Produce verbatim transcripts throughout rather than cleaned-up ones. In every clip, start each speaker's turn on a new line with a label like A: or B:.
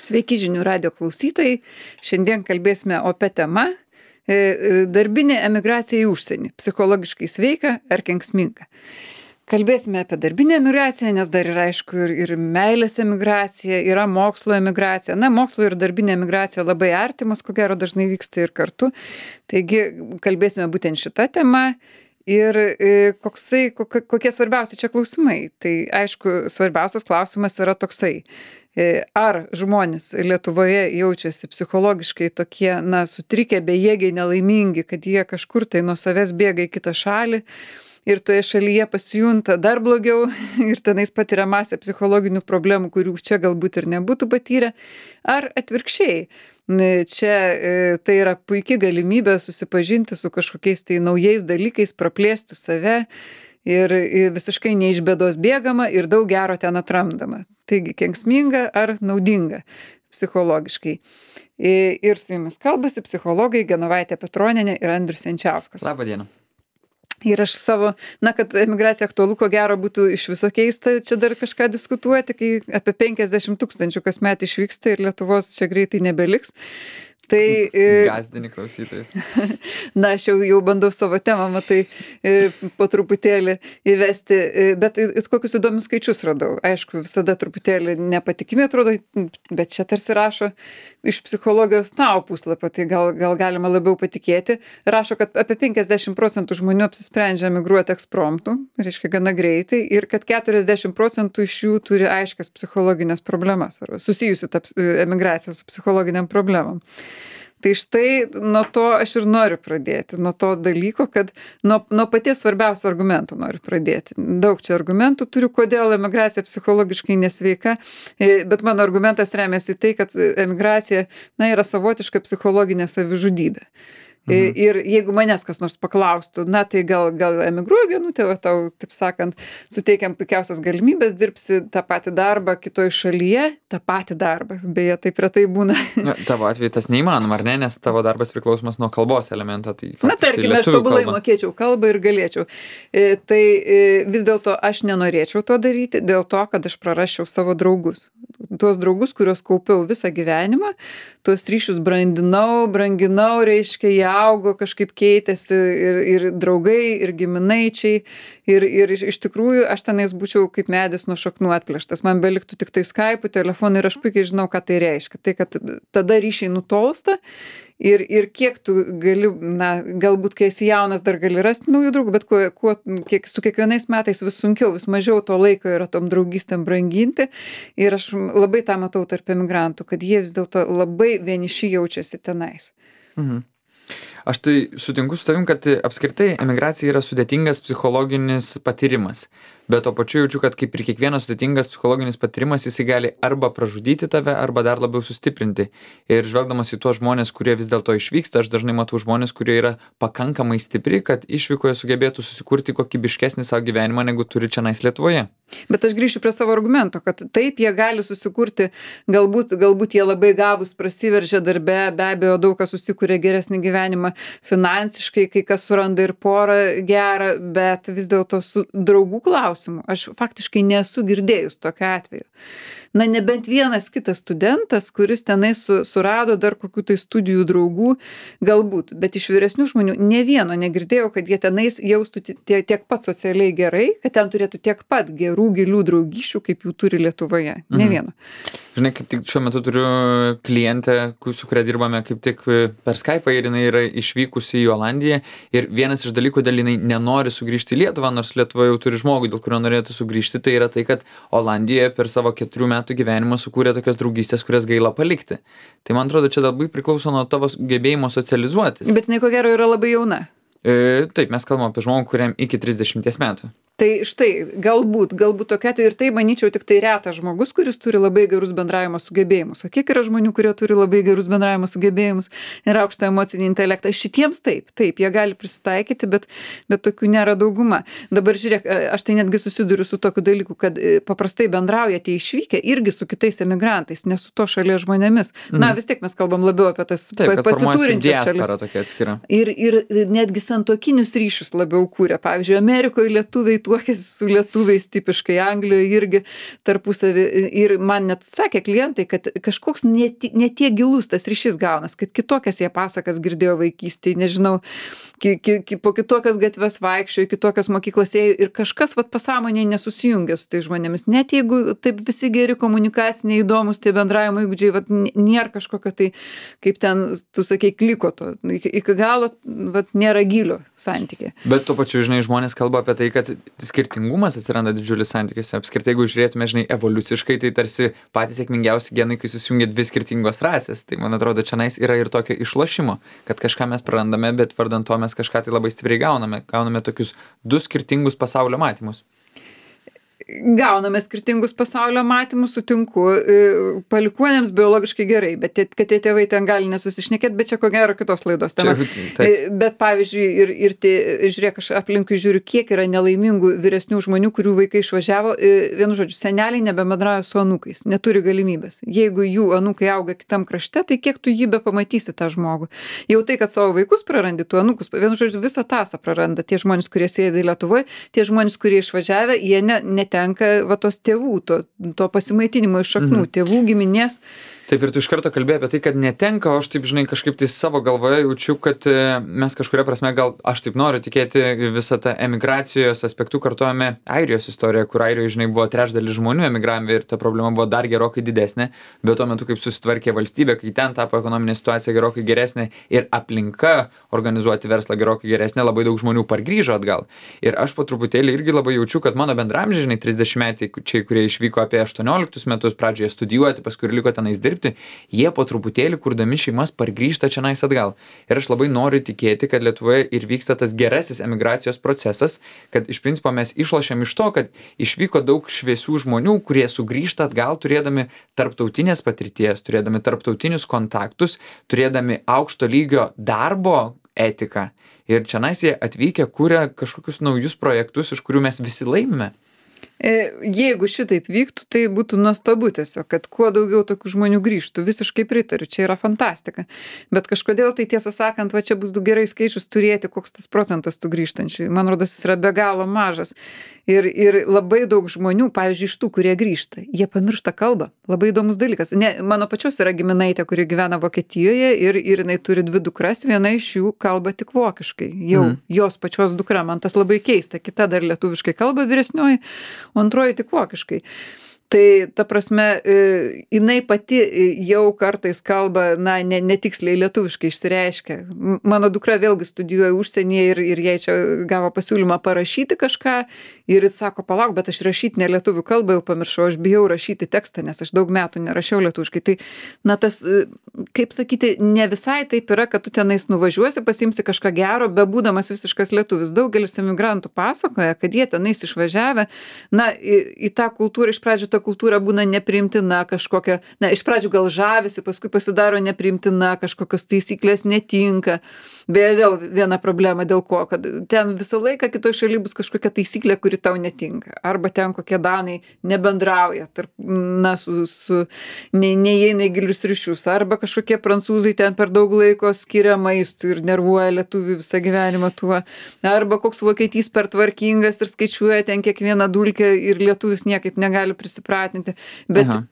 A: Sveiki žinių radijo klausytojai. Šiandien kalbėsime apie temą e, e, darbinė emigracija į užsienį. Psichologiškai sveika ar kenksminga. Kalbėsime apie darbinę emigraciją, nes dar yra aišku ir, ir meilės emigracija, yra mokslo emigracija. Na, mokslo ir darbinė emigracija labai artimos, ko gero dažnai vyksta ir kartu. Taigi kalbėsime būtent šitą temą. Ir e, koksai, kokie, kokie svarbiausi čia klausimai. Tai aišku, svarbiausias klausimas yra toksai. Ar žmonės Lietuvoje jaučiasi psichologiškai tokie, na, sutrikę, bejėgiai, nelaimingi, kad jie kažkur tai nuo savęs bėga į kitą šalį ir toje šalyje pasijunta dar blogiau ir tenais patiria masę psichologinių problemų, kurių čia galbūt ir nebūtų patyrę, ar atvirkščiai. Čia tai yra puikia galimybė susipažinti su kažkokiais tai naujais dalykais, praplėsti save. Ir visiškai ne iš bėdos bėgama ir daug gero ten atrandama. Taigi, kenksminga ar naudinga psichologiškai. Ir su jumis kalbasi psichologai Genovaitė Petronienė ir Andrius Jančiauskas.
B: Labą dieną.
A: Ir aš savo, na, kad emigracija aktualu, ko gero būtų iš viso keista čia dar kažką diskutuoti, kai apie penkiasdešimt tūkstančių kasmet išvyksta ir Lietuvos čia greitai nebeliks. Tai,
B: Gazdini klausytojus.
A: Na, aš jau, jau bandau savo temą, matai, po truputėlį įvesti, bet kokius įdomius skaičius radau. Aišku, visada truputėlį nepatikimi atrodo, bet čia tarsi rašo iš psichologijos tau puslapio, tai gal, gal galima labiau patikėti. Rašo, kad apie penkiasdešimt procentų žmonių apsisprendžia emigruoti ekspromtu, reiškia gana greitai, ir kad keturiasdešimt procentų iš jų turi aiškias psichologinės problemas, arba susijusi ta emigracija su psichologiniam problemam. Tai štai nuo to aš ir noriu pradėti, nuo to dalyko, kad nuo, nuo paties svarbiausio argumento noriu pradėti. Daug čia argumentų turiu, kodėl emigracija psichologiškai nesveika, bet mano argumentas remiasi į tai, kad emigracija, na, yra savotiška psichologinė savižudybė. Mhm. Ir jeigu manęs kas nors paklaustų, na tai gal, gal emigruoju, Genutė, va tau, taip sakant, suteikiam puikiausias galimybės, dirbsi tą patį darbą kitoj šalyje, tą patį darbą, beje, taip retai būna.
B: Na, tavo atveju tas neįmanoma, ar ne, nes tavo darbas priklausomas nuo kalbos elemento. Tai
A: na, tarkime, aš tobulai kalba. Mokėčiau kalbą ir galėčiau. E, tai e, vis dėlto aš nenorėčiau to daryti, dėl to, kad aš prarasčiau savo draugus. Tuos draugus, kuriuos kaupiau visą gyvenimą, tuos ryšius brandinau, branginau, reiškia, jie augo, kažkaip keitėsi ir, ir draugai, ir giminaičiai. Ir, ir iš tikrųjų aš tenais būčiau kaip medis nuo šaknų atplėštas. Man beliktų tik tai Skype'ų, telefonų ir aš puikiai žinau, ką tai reiškia. Tai, kad tada ryšiai nutolsta. Ir, ir kiek tu gali, na, galbūt kai esi jaunas dar gali rasti naujų draugų, bet kuo, kuo, kiek, su kiekvienais metais vis sunkiau, vis mažiau to laiko yra tom draugystėm branginti. Ir aš labai tą matau tarp emigrantų, kad jie vis dėlto labai vieniši jaučiasi tenais.
B: Mhm. Aš tai sutinku su tavim, kad apskritai emigracija yra sudėtingas psichologinis patyrimas. Bet to pačiu jaučiu, kad kaip ir kiekvienas sudėtingas psichologinis patyrimas, jisai gali arba pražudyti tave, arba dar labiau sustiprinti. Ir žvelgdamas į tuos žmonės, kurie vis dėlto išvyksta, aš dažnai matau žmonės, kurie yra pakankamai stipri, kad išvykoje sugebėtų susikurti kokybiškesnį savo gyvenimą, negu turi čionais Lietuvoje.
A: Bet aš grįšiu prie savo argumento, kad taip jie gali susikurti, galbūt, galbūt jie labai gabūs prasiveržia darbe, be abejo daug kas susikuria geresnį gyvenimą finansiškai, kai kas suranda ir porą gerą, bet vis dėlto su draugų klausimu aš faktiškai nesu girdėjus tokio atveju. Na, nebent vienas kitas studentas, kuris tenai su, surado dar kokių tai studijų draugų, galbūt, bet iš vyresnių žmonių ne vieno negirdėjau, kad jie tenais jaustų tiek, tiek pat socialiai gerai, kad ten turėtų tiek pat gerų, gilių draugyšių, kaip jų turi Lietuvoje. Ne
B: Mhm.
A: vieno.
B: Žinai, kaip tik šiuo metu turiu klientę, su kuria dirbame kaip tik per Skype'ą ir jinai yra išvykusi į Olandiją ir vienas iš dalykų, dėl jinai nenori sugrįžti į Lietuvą, nors Lietuva jau turi žmogų, dėl kurio norėtų sugrįžti, tai yra tai, kad Olandijoje per savo keturių metų gyvenimą sukūrė tokias draugystės, kurias gaila palikti. Tai man atrodo, čia labai priklauso nuo tavo gebėjimo socializuotis.
A: Bet jinai ko gero yra labai jauna.
B: E, taip, mes kalbam apie žmogų, kuriam iki trisdešimties metų.
A: Tai štai, galbūt, galbūt tokia, tai ir tai, manyčiau, tik tai retas žmogus, kuris turi labai gerus bendravimo sugebėjimus. O kiek yra žmonių, kurie turi labai gerus bendravimo sugebėjimus ir aukštą emocinį intelektą? Šitiems taip, taip, jie gali prisitaikyti, bet, bet tokių nėra dauguma. Dabar žiūrėk, aš tai netgi susiduriu su tokiu dalyku, kad paprastai bendrauja tie išvykę irgi su kitais emigrantais, ne su to šalies žmonėmis. Mhm. Na, vis tiek mes kalbam labiau apie tas
B: taip,
A: pasiturinčias šalis.
B: Tokia atskira.
A: Ir, ir netgi santuokinius ryšius labiau kūrė. Pavyzdžiui, Amerikoje lietuviai tuokėsi su lietuviais, tipiškai Anglijoje irgi tarpusavį. Ir man net sakė klientai, kad kažkoks netie, netie gilus tas ryšys gaunas, kad kitokias jie pasakas girdėjo vaikystėje, nežinau, ki, ki, ki, po kitokias gatves vaikščiojo, kitokias mokyklas ėjo ir kažkas vat pasąmonėje nesusijungia su tai žmonėmis. Net jeigu taip visi geri komunikaciniai įdomus, tie bendravimo įgūdžiai, vat nėra kažkokio tai, kaip ten, tu sakei, kliko to. Iki, iki galo vat nėra gilio santykė.
B: Bet tuo pačiu, žinai, žmonės kalba apie tai, kad skirtingumas atsiranda didžiulis santykiuose. Apskritai, jeigu žiūrėtume, žinai, evoliuciškai, tai tarsi patys sėkmingiausi genai, kai susijungia dvi skirtingos rasės. Tai man atrodo, čionais yra ir tokio išlošimo, kad kažką mes prarandame, bet vardan to mes kažką tai labai stipriai gauname. Gauname tokius du skirtingus pasaulio matymus.
A: Gauname skirtingus pasaulio matymus, sutinku, palikuonėms biologiškai gerai, bet tie, kad tie tėvai ten gali nesusišnekėti, bet čia ko gero kitos laidos tema. Čia, bet pavyzdžiui, ir, ir tie, žiūrėk, aš aplinkui žiūriu, kiek yra nelaimingų vyresnių žmonių, kurių vaikai išvažiavo, vienu žodžiu, seneliai nebebendrauja su anūkais, neturi galimybės. Jeigu jų anūkai auga kitam krašte, tai kiek tu jį be pamatysi tą žmogų. Jau tai, kad savo vaikus prarandi, tu anūkus, vienu žodžiu, visą tasą praranda tie žmonės, kurie sėdi Lietuvoje, tie žmonės, kurie išvažiavę, jie ne, ne tenka va tos tėvų, to, to pasimaitinimo iš šaknų, mhm. tėvų, giminės.
B: Taip, ir tu iš karto kalbėjai apie tai, kad netenka, o aš taip, žinai, kažkaip tai savo galvoje jaučiu, kad mes kažkuria prasme, gal aš taip noriu tikėti, visą tą emigracijos aspektų kartuojame Airijos istoriją, kur Airijoje, žinai, buvo trečdalis žmonių emigravę ir ta problema buvo dar gerokai didesnė, bet tuo metu, kaip susitvarkė valstybė, kai ten tapo ekonominė situacija gerokai geresnė ir aplinka organizuoti verslą gerokai geresnė, labai daug žmonių pargrįžo atgal. Ir aš po truputėlį irgi labai jaučiu, kad mano bendramžiai, žinai, trisdešimtmečiai, kurie išvyko apie aštuonioliktus metus pradžioje studijuoti, paskui ir liko tenais dirbti, jie po truputėlį, kurdami šeimas, pargrįžta čionais atgal. Ir aš labai noriu tikėti, kad Lietuvoje ir vyksta tas gerasis emigracijos procesas, kad iš principo mes išlošiam iš to, kad išvyko daug šviesių žmonių, kurie sugrįžta atgal turėdami tarptautinės patirties, turėdami tarptautinius kontaktus, turėdami aukšto lygio darbo etiką. Ir čionais jie atvykę kūrė kažkokius naujus projektus, iš kurių mes visi laimime.
A: Jeigu šitaip vyktų, tai būtų nuostabu tiesiog, kad kuo daugiau tokių žmonių grįžtų. Visiškai pritariu, čia yra fantastika. Bet kažkodėl tai tiesą sakant, va čia būtų gerai skaičius turėti, koks tas procentas tų grįžtančių. Man rodos, jis yra be galo mažas. Ir, ir labai daug žmonių, pavyzdžiui, iš tų, kurie grįžta, jie pamiršta kalbą. Labai įdomus dalykas. Ne, mano pačios yra giminaitė, kuri gyvena Vokietijoje ir, ir jinai turi dvi dukras, viena iš jų kalba tik vokiškai. Jau mm. jos pačios dukra, man tas labai keista. Kita dar lietuviškai kalba vyresnioji, o antroji tik vokiškai. Tai ta prasme, jinai pati jau kartais kalba, na, ne, netiksliai lietuviškai išsireiškia. Mano dukra vėlgi studijuoja užsienyje ir, ir jai čia gavo pasiūlymą parašyti kažką ir jis sako, palauk, bet aš rašyti ne lietuvių kalbą jau pamiršau, aš bijau rašyti tekstą, nes aš daug metų nerašiau lietuviškai. Tai, na, tas, kaip sakyti, ne visai taip yra, kad tu tenais nuvažiuosi, pasimsi kažką gero, bebūdamas visiškas lietuvis. Daugelis emigrantų pasakoja, kad jie tenais išvažiavę, na, į, į tą kultūrą iš pradžių ta kultūra būna nepriimtina kažkokia, na, iš pradžių gal žavisi, paskui pasidaro nepriimtina, kažkokios taisyklės netinka. Beje, vėl viena problema dėl ko, kad ten visą laiką kitoj šaly bus kažkokia taisyklė, kuri tau netinka. Arba ten kokie danai nebendrauja, tarp, na, su, su ne, neįeina į gilius ryšius. Arba kažkokie prancūzai ten per daug laiko skiria maistui ir nervuoja lietuvių visą gyvenimą tuo. Arba koks vokietys per tvarkingas ir skaičiuoja ten kiekvieną dulkę ir lietuvis niekaip negali prisipratinti. Bet Aha.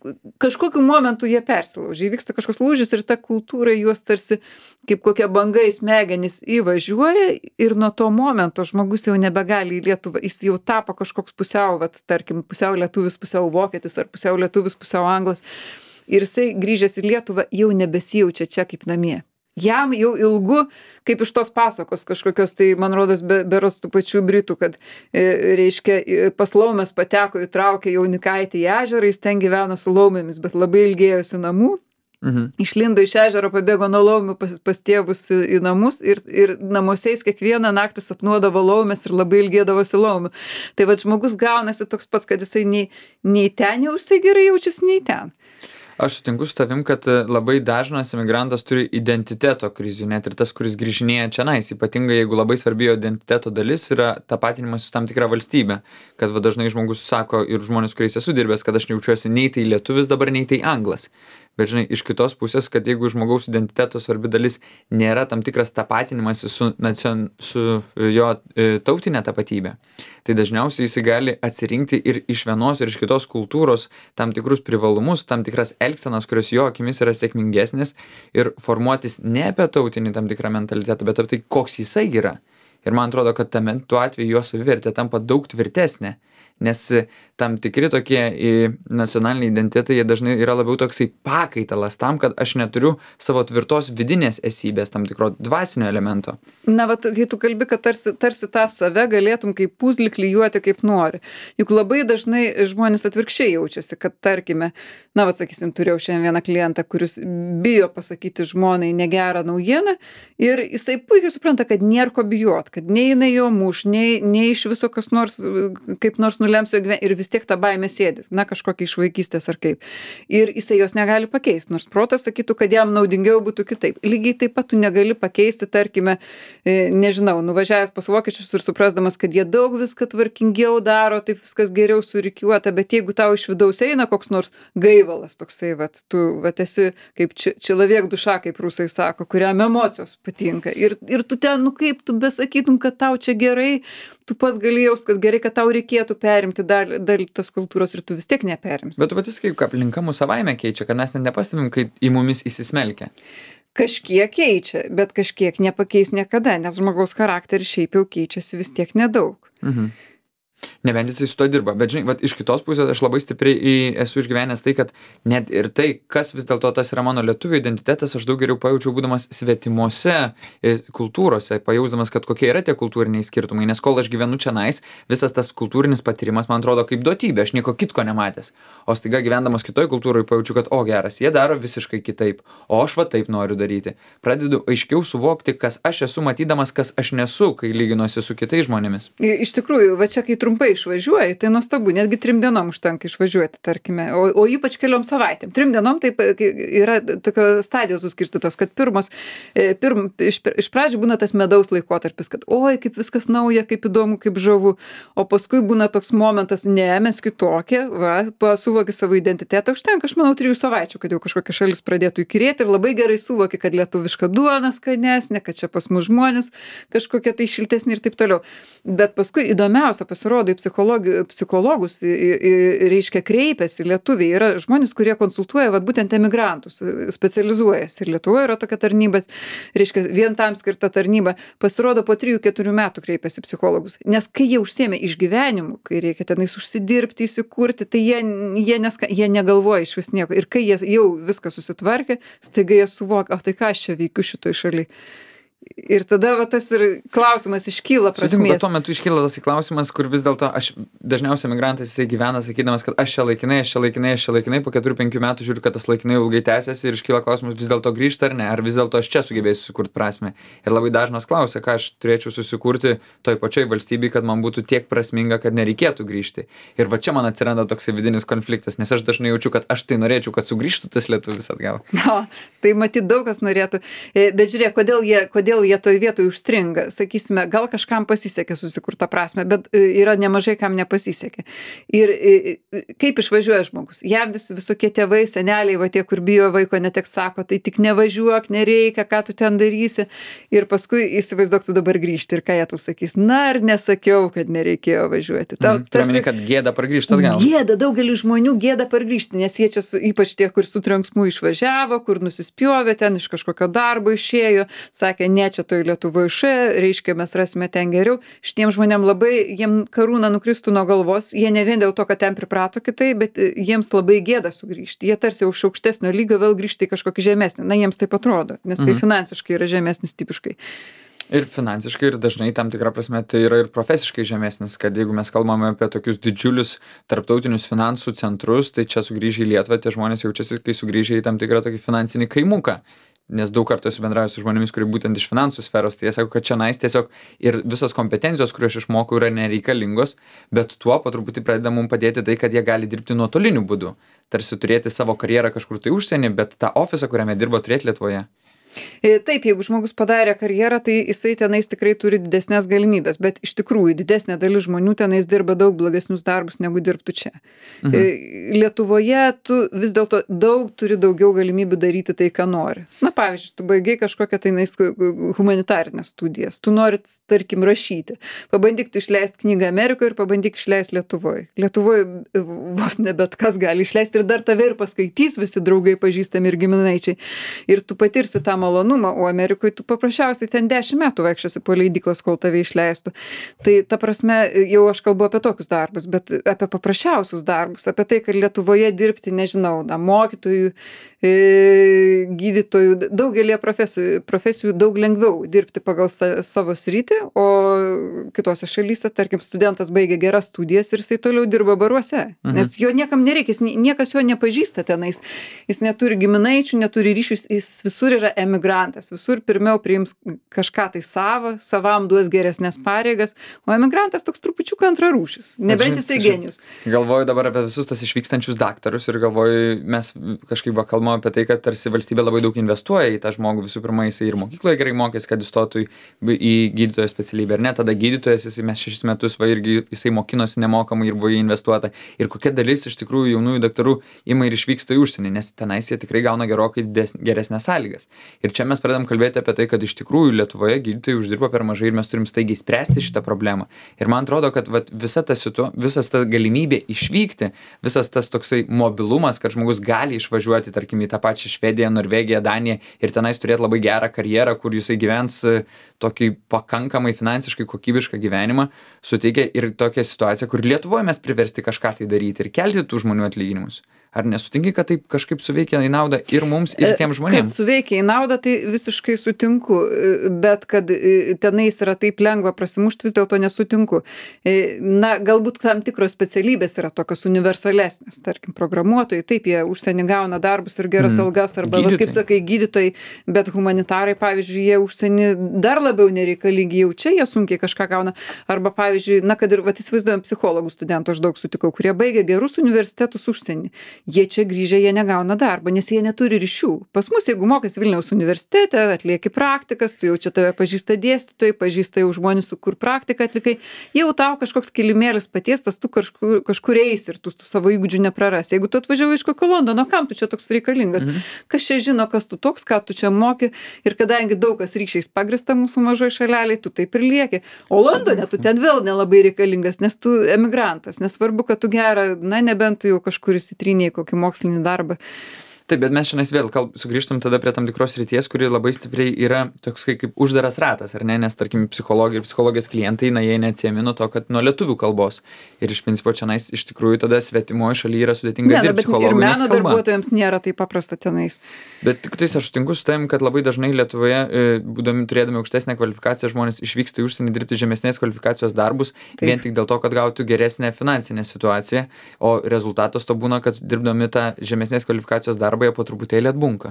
A: kažkokiu momentu jie persilaužia. Įvyksta kažkoks lūžis ir ta kultūra juos tarsi kaip kokia banga į smegenis įvažiuoja ir nuo to momento žmogus jau nebegali į Lietuvą. Jis jau tapo kažkoks pusiau, vat, tarkim, pusiau lietuvis, pusiau vokietis ar pusiau lietuvis, pusiau anglas. Ir jisai grįžęs į Lietuvą jau nebesijaučia čia kaip namie. Jam jau ilgu, kaip iš tos pasakos kažkokios, tai man rodos be, beros tų pačių britų, kad e, reiškia pas laumės pateko įtraukė jaunikaitį į ežerą, jis ten gyveno su laumėmis, bet labai ilgėjosi namų. Mhm. Išlindo iš ežero, pabėgo nuo laumių pas, pas tėvus į, į namus ir, ir namuose jis kiekvieną naktį sapnuodavo laumės ir labai ilgėdavosi laumių. Tai va žmogus gaunasi toks pats, kad jisai nei, nei ten jau jisai gerai jaučiasi, nei ten.
B: Aš sutinku su tavim, kad labai dažnas emigrantas turi identiteto krizių, net ir tas, kuris grįžinėja čionais. Ypatingai, jeigu labai svarbi jo identiteto dalis yra tapatinimas su tam tikra valstybė. Kad va, dažnai žmogus sako ir žmonės, kuriais esu dirbęs, kad aš nejaučiuosi nei tai lietuvis dabar, nei tai anglas. Bet žinai, iš kitos pusės, kad jeigu žmogaus identiteto svarbi dalis nėra tam tikras tapatinimas su, nacion, su jo e, tautinė tapatybė, tai dažniausiai jis gali atsirinkti ir iš vienos ir iš kitos kultūros tam tikrus privalumus, tam tikras elgsenas, kurios jo akimis yra sėkmingesnės ir formuotis ne apie tautinį tam tikrą mentalitetą, bet apie tai, koks jisai yra. Ir man atrodo, kad tame tuo atveju jo savivertė tampa daug tvirtesnė, nes tam tikri tokie nacionaliniai identitetai, jie dažnai yra labiau toksai pakaitalas tam, kad aš neturiu savo tvirtos vidinės esybės, tam tikro dvasinio elemento.
A: Na, va, kai tu kalbi, kad tarsi, tarsi tą save galėtum kaip puzlį klijuoti kaip nori. Juk labai dažnai žmonės atvirkščiai jaučiasi, kad tarkime, na, va, sakysim, turėjau šiandien vieną klientą, kuris bijo pasakyti žmonai negerą naujieną ir jisai puikiai supranta, kad nėra ko bijot, kad nei jinai jo muš, nei, nei iš viso kas nors, kaip nors nulems jo gyvenimą ir vis tiek tą baimę sėdi, na, kažkokia iš vaikystės ar kaip. Ir jisai jos negali pakeisti, nors protas sakytų, kad jam naudingiau būtų kitaip. Lygiai taip pat tu negali pakeisti, tarkime, nežinau, nuvažiavęs pas vokiečius ir suprasdamas, kad jie daug viską tvarkingiau daro, taip viskas geriau surikiuota, bet jeigu tau iš vidaus eina koks nors gaivalas toksai, vat, tu vat, esi kaip či, čilavėk duša, kaip rusai sako, kuriam emocijos patinka. Ir, ir tu ten, nu kaip tu besakytum, kad tau čia gerai, tu pats gali jaust, kad gerai, kad tau reikėtų perimti dalį, dalį tos kultūros ir tu vis tiek neperimsi.
B: Bet tu patys kaip aplinka mūsų savaime keičia, kad mes net nepastebim, kai į mumis įsismelkia.
A: Kažkiek keičia, bet kažkiek nepakeis niekada, nes žmogaus charakteris šiaip jau keičiasi vis tiek nedaug.
B: Mhm. Nebent jisai su to dirba, bet žinai, vat, iš kitos pusės aš labai stipriai į, esu išgyvenęs tai, kad net ir tai, kas vis dėlto tas yra mano lietuvių identitetas, aš daug geriau pajaučiau būdamas svetimose kultūrose, pajausdamas, kad kokie yra tie kultūriniai skirtumai, nes kol aš gyvenu čionais, visas tas kultūrinis patyrimas man atrodo kaip duotybė, aš nieko kitko nematęs, o staiga gyvendamas kitoj kultūroje pajaučiu, kad o geras, jie daro visiškai kitaip, o aš va taip noriu daryti. Pradedu aiškiau suvokti, kas aš esu matydamas, kas aš nesu, kai lyginuosi su kitais žmonėmis.
A: Iš tikrųjų, va čia kai trumpai išvažiuoji, tai nuostabu, netgi trim dienom užtenka išvažiuoti, tarkime, o, o ypač keliom savaitėm. Trim dienom taip yra tokios stadijos suskirstytos, kad pirmos, pirm, iš, iš pradžių būna tas medaus laikotarpis, kad oi, kaip viskas nauja, kaip įdomu, kaip žavu, o paskui būna toks momentas, ne, mes kitokie, va, suvoki savo identitetą, užtenka, aš manau, trijų savaičių, kad jau kažkokia šalis pradėtų įkyrėti ir labai gerai suvoki, kad lietuviška duona skanesnė, kad čia pas mus žmonės kažkokie tai šiltesni ir taip toliau. Bet paskui įdomiausia pasirodo, į psichologus, į, į, reiškia, kreipiasi lietuviai. Yra žmonės, kurie konsultuoja vat, būtent emigrantus, specializuojasi. Ir Lietuvoje yra tokia tarnyba, reiškia, vien tam skirta tarnyba. Pasirodo, po trijų keturių metų kreipiasi psichologus. Nes kai jie užsiėmė išgyvenimu, kai reikia tenais užsidirbti, įsikurti, tai jie, jie, neska, jie negalvoja iš vis nieko. Ir kai jie jau viską susitvarkė, staiga jie suvokia, o tai ką aš čia veikiu šitoj šaly. Ir tada va, tas ir klausimas iškyla prasmės.
B: Sutinku, bet tuo metu iškyla tas klausimas, kur vis dėlto aš dažniausiai emigrantas jisai gyvena sakydamas, kad aš čia laikinai, aš čia laikinai, aš čia laikinai, po keturių penkių metų žiūriu, kad tas laikinai ilgai tęsiasi ir iškyla klausimas vis dėlto grįžta ar ne, ar vis dėlto aš čia sugebėsiu susikurti prasmę. Ir labai dažnas klausia, ką aš turėčiau susikurti toj pačioj valstybei, kad man būtų tiek prasminga, kad nereikėtų grįžti. Ir va čia man atsiranda toksai vidinis konfliktas, nes aš dažnai jaučiu, kad aš tai norėčiau, kad sugrįžtų tas lietuvis atgal.
A: O, tai matyt daug kas norėtų. Bet žiūrėk, kodėl jie, kodėl jie toj vietoj užstringa. Sakysime, gal kažkam pasisekė susikurtą prasmę, bet yra nemažai kam nepasisekė. Ir kaip išvažiuoja žmogus? Jam vis, visokie tėvai, seneliai, va tie, kur bijo vaiko neteks, sako, tai tik nevažiuok, nereikia, ką tu ten darysi. Ir paskui įsivaizduok, tu dabar grįžti ir ką jie tau sakys. Na, ar nesakiau, kad nereikėjo važiuoti. Tau,
B: mm, tarsi, kad gėda pargrįžti atgal.
A: Gėda, daugeliu žmonių gėda pargrįžti, nes jie čia, su, ypač tie, kur su trenksmu išvažiavo, kur nusispjovė ten, iš kažkokio darbo išėjo, sakė, ne, čia toj Lietuvoje, reiškia, mes rasime ten geriau. Šitiem žmonėm labai, jiem karūna nukristų nuo galvos, jie ne vien dėl to, kad ten priprato kitai, bet jiems labai gėda sugrįžti. Jie tarsi už aukštesnio lygio vėl grįžti į kažkokį žemesnį. Na, jiems taip atrodo, nes tai mhm. finansiškai yra žemesnis tipiškai.
B: Ir finansiškai, ir dažnai tam tikrą prasme tai yra ir profesiškai žemesnis, kad jeigu mes kalbame apie tokius didžiulius tarptautinius finansų centrus, tai čia sugrįžę į Lietuvą tie žmonės jaučiasi, kai sugrįžę į tam tikrą tokį finansinį kaimuką. Nes daug kartų esu bendravęs su žmonėmis, kurie būtent iš finansų sferos, tai jie sako, kad čia nais tiesiog ir visos kompetencijos, kurios aš išmokau, yra nereikalingos, bet tuo po truputį pradeda mums padėti tai, kad jie gali dirbti nuotoliniu būdu. Tarsi turėti savo karjerą kažkur tai užsienį, bet tą ofisą, kuriame dirba, turėti Lietuvoje.
A: E, Taip, jeigu žmogus padarė karjerą, tai jisai tenais tikrai turi didesnės galimybės, bet iš tikrųjų didesnė dalis žmonių tenais dirba daug blogesnius darbus, negu dirbtų čia.
B: Mhm.
A: E, Lietuvoje tu vis dėlto daug turi daugiau galimybių daryti tai, ką nori. Na, pavyzdžiui, tu baigai kažkokią tai nais humanitarinės studijas, tu nori, tarkim, rašyti. Pabandyk tu išleisti knygą Amerikoje ir pabandyk išleisti Lietuvoje. Lietuvoje vos ne bet kas gali išleisti ir dar tave ir paskaitys visi draugai, pažįstami ir giminaičiai. Ir tu patirsi tą malonumą, o Amerikoje tu paprasčiausiai ten dešimt metų vaikščiosi po leidyklas, kol tave išleistų. Tai ta prasme, jau aš kalbu apie tokius darbus, bet apie paprasčiausius darbus, apie tai, kad Lietuvoje dirbti, nežinau, na, mokytojų, e, gydytojų, daugelį profesijų, profesijų daug lengviau dirbti pagal sa, savo sritį, o kitose šalyse, tarkim, studentas baigia geras studijas ir jisai toliau dirba baruose, mhm. nes jo niekam nereikia, jis, niekas jo nepažįsta tenais, jis neturi giminaičių, neturi ryšius, jis visur yra emigrantas, visur pirmiau priims kažką tai savo, savam duos geresnės pareigas, o emigrantas toks trupučiuką antrarūšis, nebent jisai genijus.
B: Galvoju dabar apie visus tas išvykstančius daktarus ir galvoju, mes kažkaip va kalbame apie tai, kad tarsi valstybė labai daug investuoja į tą žmogų, visų pirma, jisai ir mokykloje gerai mokės, kad įstotų į gydytojo specialybę, ar ne, tada gydytojas, jisai mes šešis metus, va irgi jisai mokinosi nemokamai ir buvo investuota, ir kokia dalis iš tikrųjų jaunųjų daktarų ima ir išvyksta į užsienį, nes tenais jie tikrai gauna gerokai geresnės sąlygas. Ir čia mes pradedam kalbėti apie tai, kad iš tikrųjų Lietuvoje gydytojai uždirba per mažai ir mes turim staigiai spręsti šitą problemą. Ir man atrodo, kad vat, visa ta situ, visas tas galimybė išvykti, visas tas toksai mobilumas, kad žmogus gali išvažiuoti, tarkim, į tą pačią Švediją, Norvegiją, Daniją ir tenais turėti labai gerą karjerą, kur jisai gyvens tokį pakankamai finansiškai kokybišką gyvenimą, suteikia ir tokią situaciją, kur Lietuvoje mes priversti kažką tai daryti ir kelti tų žmonių atlyginimus. Ar nesutinki, kad taip kažkaip suveikia į naudą ir mums, ir tiem žmonėms?
A: Kad suveikia į naudą, tai visiškai sutinku, bet kad tenais yra taip lengva prasimušti, vis dėlto nesutinku. Na, galbūt tam tikros specialybės yra tokios universalesnės, tarkim, programuotojai, taip, jie užsienį gauna darbus ir geras mm. algas, arba, vat, kaip sakai, gydytojai, bet humanitarai, pavyzdžiui, jie užsienį dar labiau nereikalingi, jau čia jie sunkiai kažką gauna, arba, pavyzdžiui, na, kad ir, vat, įsivaizduojam, psichologų studentų aš daug sutikau, kurie baigia gerus universitetus užsienį. Jie čia grįžę, jie negauna darbą, nes jie neturi ryšių. Pas mus, jeigu mokais Vilniaus universitete, atlieki praktikas, tu jau čia tave pažįsta dėstytojai, pažįsta jau žmonės, su kur praktiką atlikai, jau tau kažkoks kilimėlis patiestas, tu kažkur, kažkur eisi ir tu, tu savo įgūdžių neprarasi. Jeigu tu atvažiavai iš kokio Londono, kam tu čia toks reikalingas? Mhm. Kas čia žino, kas tu toks, ką tu čia moki, ir kadangi daug kas ryšiais pagrįsta mūsų mažoj šaleliai, tu taip ir lieki. O Londone tu ten vėl nelabai reikalingas, nes tu emigrantas, nesvarbu, kad tu gerą, na, nebent tu jau kažkur įsitrynėjai kokį mokslinį darbą.
B: Taip, bet mes šiandien vėl kalb, sugrįžtam tada prie tam tikros ryties, kuri labai stipriai yra toks kaip uždaras ratas, ar ne, nes tarkim psichologija ir psichologijos klientai, na, jie neatsiemi nuo to, kad nuo lietuvių kalbos. Ir iš principo čia nais iš tikrųjų tada svetimoje šalyje yra sudėtinga
A: ne,
B: dirbti psichologų.
A: Ir meno darbuotojams nėra taip paprasta tenais.
B: Bet tik tais aš sutinku su tavim, kad labai dažnai Lietuvoje, būdami turėdami aukštesnę kvalifikaciją, žmonės išvyksta į užsienį dirbti žemesnės kvalifikacijos darbus, taip, vien tik dėl to, kad gautų geresnę finansinę situaciją, o rezultatas to būna, kad dirbdami tą žemesnės kvalifikacijos darbą jie po truputėlį atbunka.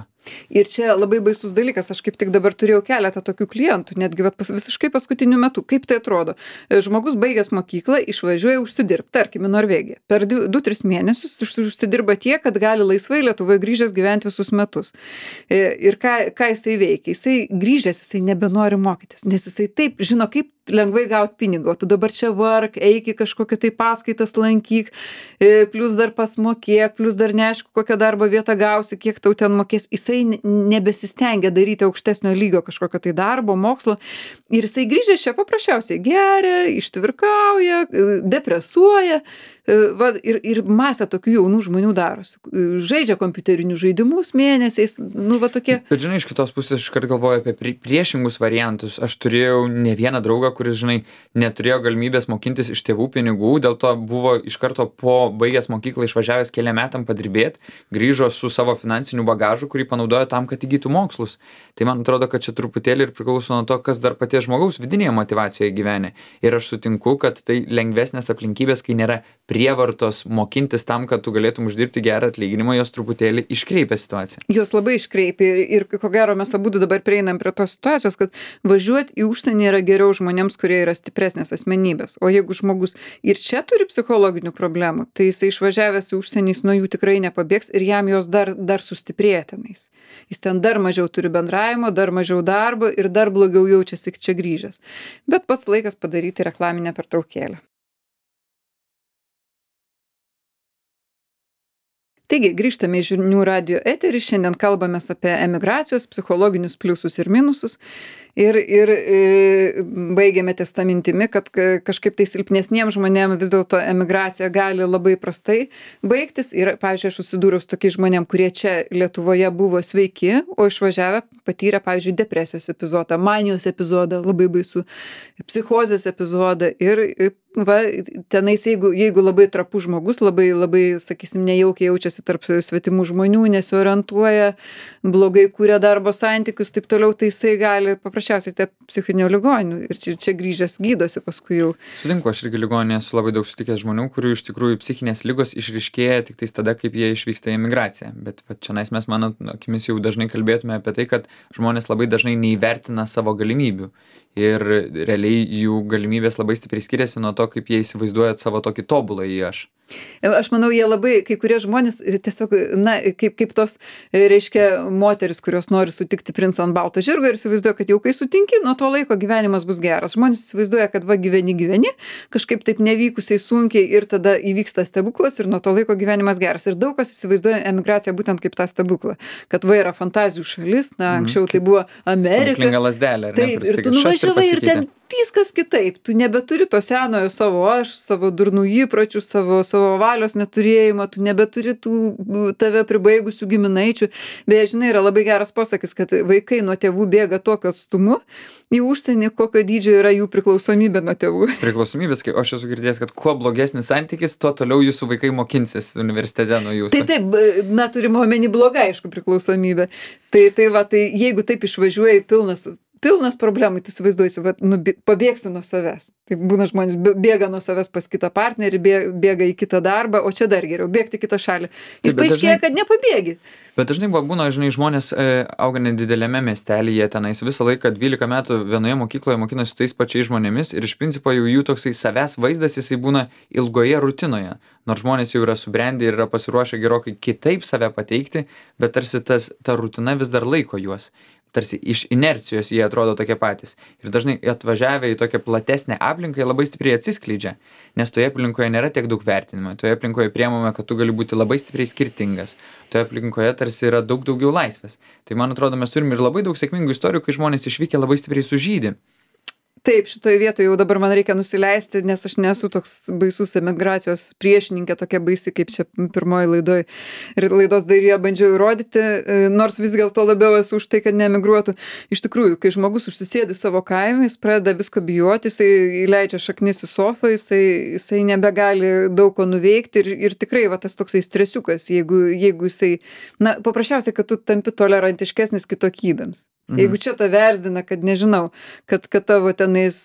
A: Ir čia labai baisus dalykas, aš kaip tik dabar turėjau keletą tokių klientų, netgi vat, pas, visiškai paskutiniu metu. Kaip tai atrodo? Žmogus baigęs mokyklą išvažiuoja užsidirbti, tarkim, į Norvegiją. Per du tris mėnesius užsidirba tiek, kad gali laisvai Lietuvoje grįžęs gyventi visus metus. Ir ką, ką jisai veikia? Jisai grįžęs, jisai nebenori mokytis, nes jisai taip žino, kaip lengvai gauti pinigą, o tu dabar čia vark, eik į kažkokią tai paskaitas lankyk, plus dar pats mokėk, plus dar neaišku, kokią darbo vietą gausi, kiek tau ten mokės. Jisai nebesistengia daryti aukštesnio lygio kažkokio tai darbo, mokslo. Ir jisai grįžęs čia paprasčiausiai geria, ištvirkauja, depresuoja. Va, ir, ir masė tokių jaunų žmonių darosi. Žaidžia kompiuterinius žaidimus mėnesiais, nu va tokie.
B: Bet žinai, iš kitos pusės iškart galvoju apie priešingus variantus. Aš turėjau ne vieną draugą, kuris, žinai, neturėjo galimybės mokintis iš tėvų pinigų, dėl to buvo iš karto po baigęs mokyklą išvažiavęs keliam metam padirbėti, grįžo su savo finansiniu bagažu, kurį panaudojo tam, kad įgytų mokslus. Tai man atrodo, kad čia truputėlį ir priklauso nuo to, kas dar paties žmogaus vidinėje motivacijoje gyvenė. Ir aš sutinku, kad tai lengvesnės aplinkybės, kai nėra prie prievartos mokintis tam, kad tu galėtum uždirbti gerą atlyginimą, jos truputėlį iškreipia situaciją.
A: Jos labai iškreipia ir, ir ko gero mes abu dabar prieinam prie tos situacijos, kad važiuoti į užsienį yra geriau žmonėms, kurie yra stipresnės asmenybės. O jeigu žmogus ir čia turi psichologinių problemų, tai jisai išvažiavęs į užsienį, jis nuo jų tikrai nepabėgs ir jam jos dar, dar sustiprėja tenais. Jis ten dar mažiau turi bendravimo, dar mažiau darbo ir dar blogiau jaučiasi čia grįžęs. Bet pats laikas padaryti reklaminę pertraukėlę. Taigi, grįžtame į Žinių radijo eterį, šiandien kalbamės apie emigracijos psichologinius pliusus ir minusus ir, ir e, baigėme ties tą mintimi, kad kažkaip tai silpnesniems žmonėms vis dėlto emigracija gali labai prastai baigtis ir, pavyzdžiui, aš susidūriau su tokiais žmonėm, kurie čia Lietuvoje buvo sveiki, o išvažiavę patyrė, pavyzdžiui, depresijos epizodą, manijos epizodą, labai baisų, psichozės epizodą ir va, tenais, jeigu, jeigu labai trapus žmogus, labai, labai, sakysim, nejaukiai jaučiasi tarp svetimų žmonių, nesiorientuoja, blogai kūrė darbo santykius, taip toliau, tai jisai gali paprasčiausiai te psichinio ligonių ir čia, čia grįžęs gydosi paskui jau.
B: Sutinku, aš irgi ligoninėje esu labai daug sutikęs žmonių, kurių iš tikrųjų psichinės ligos išryškėja tik tais tada, kaip jie išvyksta į emigraciją. Bet va, čia nais mes, mano akimis, jau dažnai kalbėtume apie tai, kad žmonės labai dažnai neįvertina savo galimybių. Ir realiai jų galimybės labai stipriai skiriasi nuo to, kaip jie įsivaizduoja savo tokį tobulą į aš.
A: Aš manau, jie labai, kai kurie žmonės tiesiog, na, kaip, kaip tos, reiškia, moteris, kurios nori sutikti princą ant balto žirgo ir įsivaizduoja, kad jau kai sutinki, nuo to laiko gyvenimas bus geras. Žmonės įsivaizduoja, kad va gyveni, gyveni, kažkaip taip nevykusiai sunkiai ir tada įvyksta stebuklas ir nuo to laiko gyvenimas geras. Ir daug kas įsivaizduoja emigraciją būtent kaip tą stebuklą, kad va yra fantazijų šalis, na, anksčiau mm, tai buvo Amerika.
B: Stebuklinga lazdelė, ar ne?
A: Taip, ir tu nuvažiavai ir ten viskas kitaip. Tu nebeturi to senojo savo aš, savo durnų įpročių, savo, savo valios neturėjimo, tu nebeturi tų tave pribaigusių giminaičių. Beje, žinai, yra labai geras posakis, kad vaikai nuo tėvų bėga tokiu atstumu į užsienį, kokio dydžio yra jų priklausomybė nuo tėvų.
B: Priklausomybės, kai aš esu girdėjęs, kad kuo blogesnis santykis, tuo toliau jūsų vaikai mokinsis universitete nuo jūsų.
A: Taip, taip, na, turime omeny blogą, aišku, priklausomybę. Tai, tai va, tai jeigu taip išvažiuoji pilnas pilnas problemų, tu įsivaizduoji, va, nu, pabėgsiu nuo savęs. Tai būna žmonės bėga nuo savęs pas kitą partnerį, bėga į kitą darbą, o čia dar geriau, bėgti į kitą šalį. Ir paaiškėja, kad nepabėgi.
B: Bet dažnai va, būna, žinai, žmonės e, auga nedidelėme miestelyje, tenais visą laiką dvylika metų vienoje mokykloje mokinasi tais pačiais žmonėmis ir iš principo jau jų toksai savęs vaizdas, jisai būna ilgoje rutinoje. Nors žmonės jau yra subrendę ir yra pasiruošę gerokai kitaip save pateikti, bet tarsi tas, ta rutina vis dar laiko juos. Tarsi iš inercijos jie atrodo tokie patys. Ir dažnai atvažiavę į tokią platesnę aplinką, jie labai stipriai atsiskleidžia, nes toje aplinkoje nėra tiek daug vertinimo, toje aplinkoje priemame, kad tu gali būti labai stipriai skirtingas, toje aplinkoje tarsi yra daug daugiau laisvės. Tai man atrodo, mes turime ir labai daug sėkmingų istorijų, kai žmonės išvykę labai stipriai sužydi.
A: Taip, šitoje vietoje jau dabar man reikia nusileisti, nes aš nesu toks baisus emigracijos priešininkė, tokia baisi, kaip čia pirmoji laidoj. Ir laidos dalyje bandžiau įrodyti, nors vis dėlto labiau esu už tai, kad neemigruotų. Iš tikrųjų, kai žmogus užsisėdi savo kaime, jis pradeda visko bijoti, jisai įleidžia šaknis į sofą, jisai, jisai nebegali daug ko nuveikti ir, ir tikrai va, tas toksai stresiukas, jeigu, jeigu jisai, na, paprasčiausiai, kad tu tampi tolerantiškesnis kitokybėms. Jeigu čia tave erzdina, kad nežinau, kad, kad tavo tenais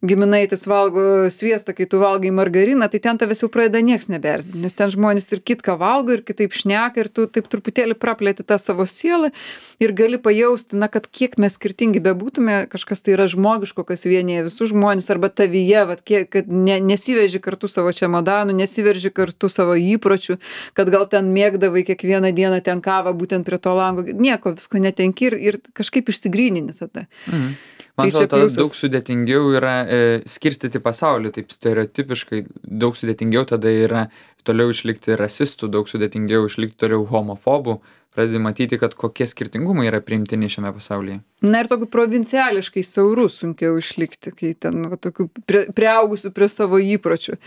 A: giminaitis valgo sviestą, kai tu valgai margariną, tai ten tavęs jau pradeda nieks nebeerzdinti, nes ten žmonės ir kitką valgo ir kitaip šneka ir tu taip truputėlį praplėti tą savo sielą ir gali pajausti, na, kad kiek mes skirtingi bebūtume, kažkas tai yra žmogiško, kas vienyje visus žmonės arba tavyje, vat, kiek, kad ne, nesiveži kartu savo čemodanų, nesiverži kartu savo įpročių, kad gal ten mėgdavai kiekvieną dieną ten kavą būtent prie to lango, nieko, visko netenki ir, ir kažkaip išsigryninti tada.
B: Mhm. Man atrodo, tada daug sudėtingiau yra e, skirstyti pasaulį, taip stereotipiškai, daug sudėtingiau tada yra toliau išlikti rasistų, daug sudėtingiau išlikti toliau homofobų, pradedi matyti, kad kokie skirtingumai yra priimtini šiame pasaulyje.
A: Na ir tokių provinciališkai siaurų sunkiau išlikti, kai ten va, tokių prie, priaugusių prie savo įpročių.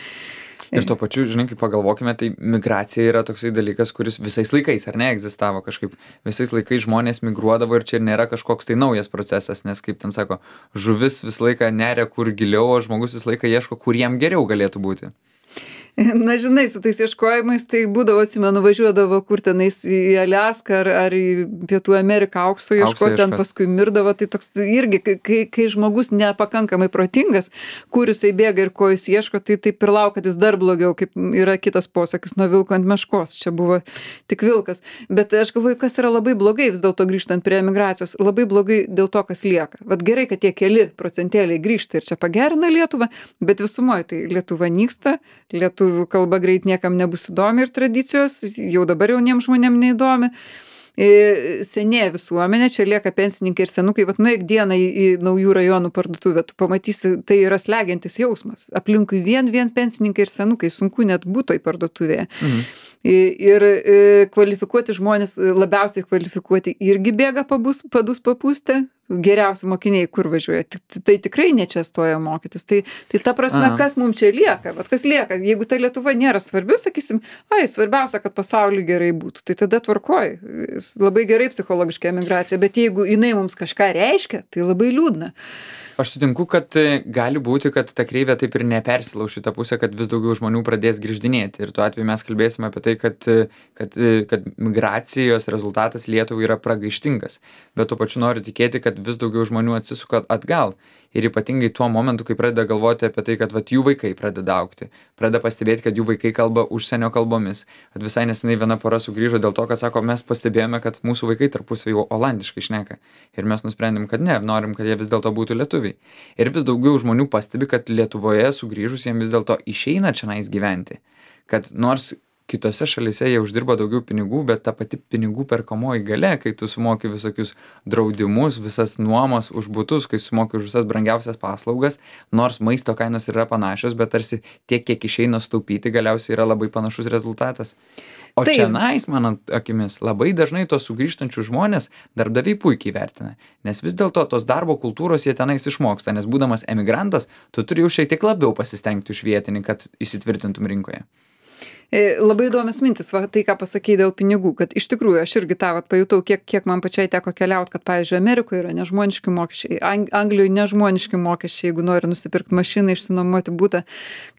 B: Ir tuo pačiu, žinai, kaip pagalvokime, tai migracija yra toksai dalykas, kuris visais laikais, ar ne, egzistavo kažkaip. Visais laikais žmonės migruodavo ir čia nėra kažkoks tai naujas procesas, nes, kaip ten sako, žuvis visą laiką neria kur giliau, o žmogus visą laiką ieško, kur jam geriau galėtų būti.
A: Na, žinai, su tais ieškojimais tai būdavo, atsimenu, važiuodavo kur tenais į Aliaską ar, ar į Pietų Ameriką aukso
B: Aukso
A: ieškoti, ten
B: ieškot.
A: paskui mirdavo. Tai toks irgi, kai, kai, kai žmogus nepakankamai protingas, kur jisai bėga ir ko jis ieško, tai taip ir lauk, kad jis dar blogiau, kaip yra kitas posakis, nuo vilko ant meškos. Čia buvo tik vilkas. Bet aš galvoju, kas yra labai blogai, vis dėlto grįžtant prie emigracijos, labai blogai dėl to, kas lieka. Vat gerai, kad tie keli procentėliai grįžta ir čia pagerina Lietuvą, bet visumoje tai Lietuva nyksta, lietuvių kalba greit niekam nebus įdomi ir tradicijos, jau dabar jauniems žmonėm neįdomi. E, senėja visuomenė, čia lieka pensininkai ir senukai, vat nueik dieną į, į naujų rajonų parduotuvę, tu pamatysi, tai yra slegiantis jausmas. Aplinkui vien, vien pensininkai ir senukai, sunku net būtų į parduotuvėje. Mhm. Ir e, kvalifikuoti žmonės, labiausiai kvalifikuoti, irgi bėga pabus, padus papūstę. Geriausi mokiniai kur važiuoja, tai, tai tikrai ne čia stoja mokytis. Tai, tai ta prasme,
B: Aha.
A: kas mums čia lieka, vat kas lieka, jeigu ta Lietuva nėra svarbi, sakysim, ai, svarbiausia, kad pasauliui gerai būtų, tai tada tvarkoj, labai gerai psichologiška emigracija, bet jeigu jinai mums kažką reiškia, tai labai liūdna.
B: Aš sutinku, kad gali būti, kad ta kreivė taip ir nepersilauš į tą pusę, kad vis daugiau žmonių pradės grįždinėti. Ir tuo atveju mes kalbėsime apie tai, kad, kad, kad migracijos rezultatas Lietuvai yra pragaištingas. Bet tuo pačiu noriu tikėti, kad vis daugiau žmonių atsisuka atgal. Ir ypatingai tuo momentu, kai pradeda galvoti apie tai, kad vat, jų vaikai pradeda augti. Pradeda pastebėti, kad jų vaikai kalba užsienio kalbomis. At visai nesenai viena pora sugrįžo dėl to, kad sako, mes pastebėjome, kad mūsų vaikai tarpusavy olandiškai šneka. Ir mes nusprendėm, kad ne, norim, kad jie vis dėlto būtų lietuviai. Ir vis daugiau žmonių pastebi, kad Lietuvoje sugrįžus jiems vis dėlto išeina čionais gyventi. Kad nors kitose šalyse jie uždirba daugiau pinigų, bet ta pati pinigų perkamoji galia, kai tu sumoki visokius draudimus, visas nuomos už butus, kai sumoki už visas brangiausias paslaugas, nors maisto kainos yra panašios, bet tarsi tiek, kiek išeina staupyti, galiausiai yra labai panašus rezultatas. O
A: Taip.
B: čianais, mano akimis, labai dažnai tos sugrįžtančius žmonės darbdaviai puikiai vertina, nes vis dėlto tos darbo kultūros jie tenais išmoksta, nes būdamas emigrantas, tu turi jau šiek tiek labiau pasistengti už vietinį, kad įsitvirtintum rinkoje.
A: E, labai įdomios mintis, va, tai ką pasakei dėl pinigų, kad iš tikrųjų aš irgi tą vat, pajutau, kiek, kiek man pačiai teko keliauti, kad, pavyzdžiui, Amerikoje yra nežmoniški mokesčiai, Ang Anglijoje nežmoniški mokesčiai, jeigu nori nusipirkti mašiną, išsinuomoti butą,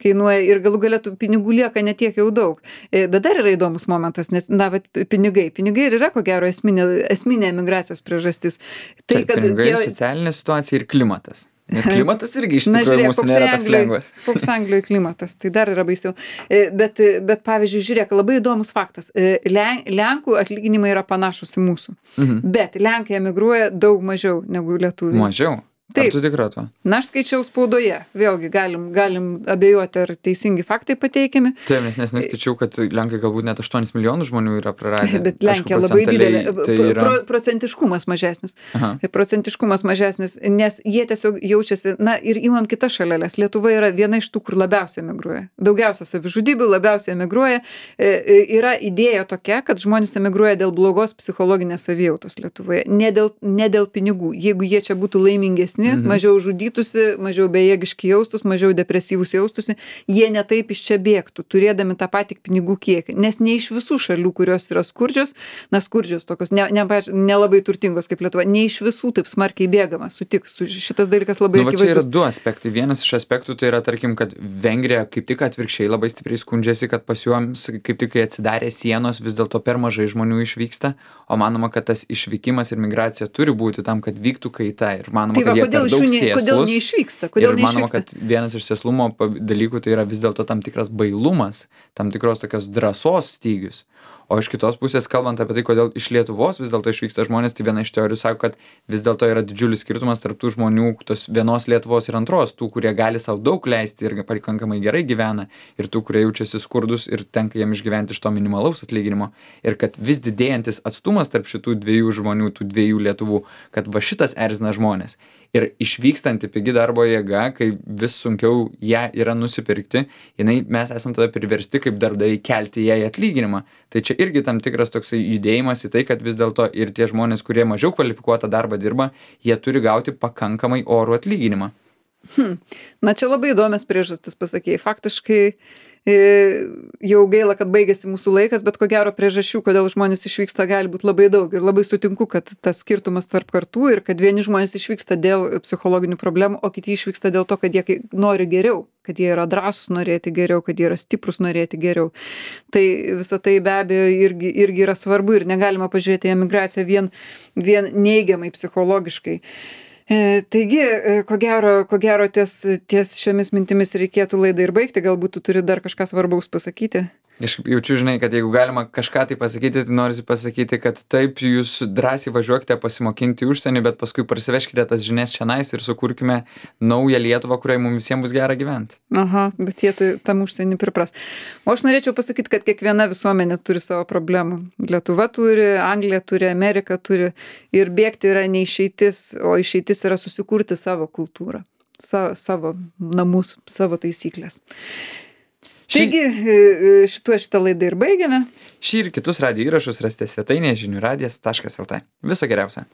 A: kainuoja ir galų galėtų pinigų lieka netiek jau daug. E, bet dar yra įdomus momentas, nes, na, vat, pinigai, pinigai ir yra, ko gero, esminė, esminė emigracijos priežastis. Tai,
B: Taip, pinigai, tie... socialinė situacija ir klimatas. Nes klimatas irgi iš tikrųjų mūsų nėra toks lengvas.
A: Koks Anglijoje klimatas, tai dar yra baisiau. Bet, bet pavyzdžiui, žiūrėk, labai įdomus faktas. Len, Lenkų atlyginimai yra panašus į mūsų. Mhm. Bet Lenkai emigruoja daug mažiau negu lietuviai.
B: Mažiau?
A: Taip.
B: Ar tu tikra tuo?
A: Na, aš skaičiau spaudoje. Vėlgi galim, galim abejoti, ar teisingi faktai pateikiami.
B: Taip, nes nes neskaičiau, kad Lenkai galbūt net aštuonis milijonus žmonių yra praradę.
A: Bet Lenkija labai didelė.
B: Tai yra...
A: Pro, procentiškumas mažesnis.
B: Aha.
A: Procentiškumas mažesnis, nes jie tiesiog jaučiasi, na ir imam kitas šaleles. Lietuva yra viena iš tų, kur labiausiai emigruoja. Daugiausia savižudybių, labiausiai emigruoja. E, e, yra idėja tokia, kad žmonės emigruoja dėl blogos psichologinės savijautos Lietuvoje. Ne dėl, ne dėl pinigų. Jeigu jie čia būtų laimingesni, Mhm. mažiau žudytųsi, mažiau bejėgiški jaustus, mažiau depresyvus jaustųsi, jie netaip iš čia bėgtų, turėdami tą patį pinigų kiekį. Nes ne iš visų šalių, kurios yra skurdžios, na skurdžios tokios, nelabai ne, ne, ne turtingos kaip Lietuva, ne iš visų taip smarkiai bėgama, sutik, su, šitas dalykas labai
B: nu,
A: akivaizdus.
B: Čia yra du aspektai. Vienas iš aspektų tai yra, tarkim, kad Vengrija kaip tik atvirkščiai labai stipriai skundžiasi, kad pas juoms kaip tik kai atsidarė sienos, vis dėlto per mažai žmonių išvyksta, o manoma, kad tas išvykimas ir migracija turi būti tam, kad vyktų kaita. Ir manoma, tai va, kad jie per daug sėslus.
A: Kodėl neišvyksta? Kodėl
B: ir manoma,
A: neišvyksta?
B: kad vienas iš sėslumo dalykų tai yra vis dėlto tam tikras bailumas, tam tikros tokios drąsos stygius. O iš kitos pusės, kalbant apie tai, kodėl iš Lietuvos vis dėlto išvyksta žmonės, tai viena iš teorijų sako, kad vis dėlto yra didžiulis skirtumas tarp tų žmonių, tos vienos Lietuvos ir antros, tų, kurie gali savo daug leisti ir pakankamai gerai gyvena, ir tų, kurie jaučiasi skurdus ir tenka jiem išgyventi iš to minimalaus atlyginimo. Ir kad vis didėjantis atstumas tarp šitų dviejų žmonių, tų dviejų Lietuvų, kad va šitas erzina žmonės. Ir išvykstanti pigi darbo jėga, kai vis sunkiau ją yra nusipirkti, jinai, mes esam tada priversti kaip darbdaviai kelti jai atlyginimą. Tai čia irgi tam tikras toksai judėjimas į tai, kad vis dėlto ir tie žmonės, kurie mažiau kvalifikuotą darbą dirba, jie turi gauti pakankamai orų atlyginimą.
A: Hmm. Na čia labai įdomias priežastis pasakėjai. Faktiškai Jau gaila, kad baigėsi mūsų laikas, bet ko gero priežasčių, kodėl žmonės išvyksta, gali būti labai daug. Ir labai sutinku, kad tas skirtumas tarp kartų ir kad vieni žmonės išvyksta dėl psichologinių problemų, o kiti išvyksta dėl to, kad jie nori geriau, kad jie yra drąsūs norėti geriau, kad jie yra stiprus norėti geriau. Tai visą tai be abejo irgi, irgi yra svarbu ir negalima pažiūrėti į emigraciją vien, vien neigiamai psichologiškai. E, taigi, e, ko gero, ko gero ties, ties šiomis mintimis reikėtų laidą ir baigti. Galbūt tu turi dar kažką svarbaus pasakyti.
B: Aš jaučiu, žinai, kad jeigu galima kažką tai pasakyti, tai norisi pasakyti, kad taip, jūs drąsiai važiuokite pasimokinti užsienį, bet paskui parsiveškite tas žinias čionais ir sukurkime naują Lietuvą, kurioje mums visiems bus gera gyventi.
A: Aha, bet jie tu, tam užsienį pripras. O aš norėčiau pasakyti, kad kiekviena visuomenė turi savo problemų. Lietuva turi, Anglija turi, Amerika turi ir bėgti yra ne išeitis, o išeitis yra susikurti savo kultūrą, savo, savo namus, savo taisyklės. Taigi, šituo šitą laidą ir baigiame.
B: Šį ir kitus radijo įrašus rasite svetainėje žinių radijas taškas lt. Viso geriausio.